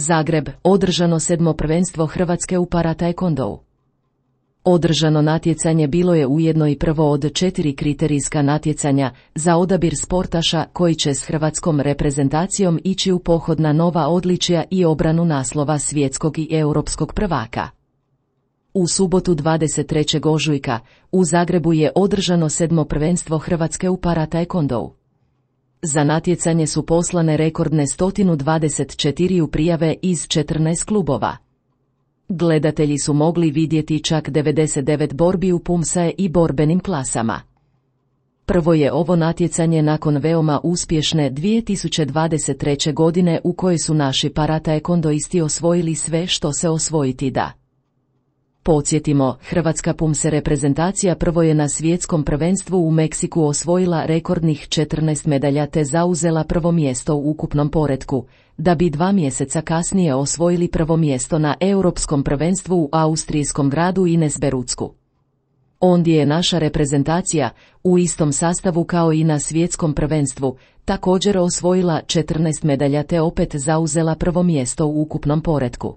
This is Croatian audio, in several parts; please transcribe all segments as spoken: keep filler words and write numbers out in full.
Zagreb, održano sedmo prvenstvo Hrvatske u para-taekwondou. Održano natjecanje bilo je ujedno i prvo od četiri kriterijska natjecanja za odabir sportaša koji će s hrvatskom reprezentacijom ići u pohod na nova odličja i obranu naslova svjetskog i europskog prvaka. U subotu dvadeset trećeg ožujka u Zagrebu je održano sedmo prvenstvo Hrvatske u para-taekwondou. Za natjecanje su poslane rekordne sto dvadeset četiri prijave iz četrnaest klubova. Gledatelji su mogli vidjeti čak devedeset devet borbi u pumsae i borbenim klasama. Prvo je ovo natjecanje nakon veoma uspješne dvije tisuće dvadeset treće. godine u kojoj su naši para-taekwondoisti osvojili sve što se osvojiti da. Podsjetimo, hrvatska pumse reprezentacija prvo je na svjetskom prvenstvu u Meksiku osvojila rekordnih četrnaest medalja te zauzela prvo mjesto u ukupnom poretku, da bi dva mjeseca kasnije osvojili prvo mjesto na europskom prvenstvu u austrijskom gradu Innsbrucku. Ondje je naša reprezentacija, u istom sastavu kao i na svjetskom prvenstvu, također osvojila četrnaest medalja te opet zauzela prvo mjesto u ukupnom poretku.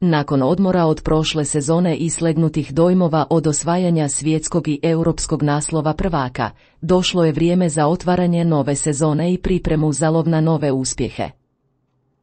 Nakon odmora od prošle sezone i slegnutih dojmova od osvajanja svjetskog i europskog naslova prvaka, došlo je vrijeme za otvaranje nove sezone i pripremu za lov na nove uspjehe.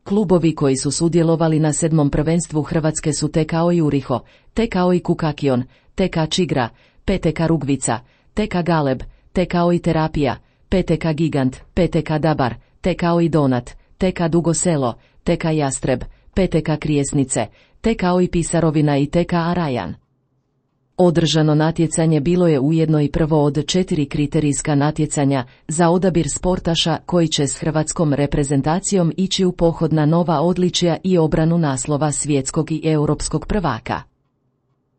Klubovi koji su sudjelovali na sedmom prvenstvu Hrvatske su T K O Juriho, T K O Kukakion, T K Čigra, P T K Rugvica, T K Galeb, T K O Terapija, P T K Gigant, P T K Dabar, T K O Donat, T K Dugo Selo, T K Jastreb, P T K Krijesnice, T K O Pisarovina i T K Arajan. Održano natjecanje bilo je ujedno i prvo od četiri kriterijska natjecanja za odabir sportaša koji će s hrvatskom reprezentacijom ići u pohod na nova odličja i obranu naslova svjetskog i europskog prvaka.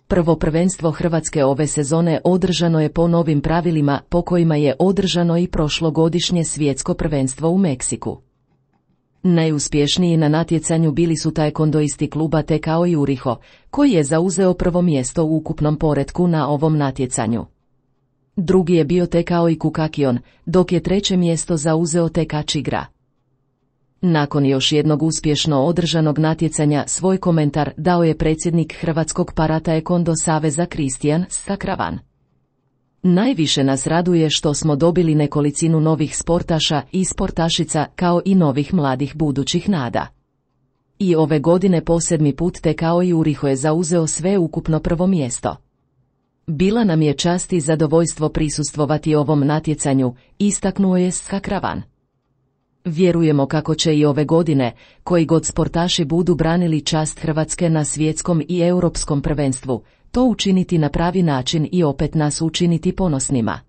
Prvo prvenstvo Hrvatske ove sezone održano je po novim pravilima po kojima je održano i prošlogodišnje svjetsko prvenstvo u Meksiku. Najuspješniji na natjecanju bili su taekwondoisti kluba T K O Juriho, koji je zauzeo prvo mjesto u ukupnom poretku na ovom natjecanju. Drugi je bio T K O Kukakion, dok je treće mjesto zauzeo T K Čigra. Nakon još jednog uspješno održanog natjecanja svoj komentar dao je predsjednik Hrvatskog para-taekwondo saveza Kristijan Sakravan. Najviše nas raduje što smo dobili nekolicinu novih sportaša i sportašica kao i novih mladih budućih nada. I ove godine po sedmi put T K O Juriho je zauzeo sve ukupno prvo mjesto. Bila nam je čast i zadovoljstvo prisustvovati ovom natjecanju, istaknuo je Sakravan. Vjerujemo kako će i ove godine, koji god sportaši budu branili čast Hrvatske na svjetskom i europskom prvenstvu, to učiniti na pravi način i opet nas učiniti ponosnima.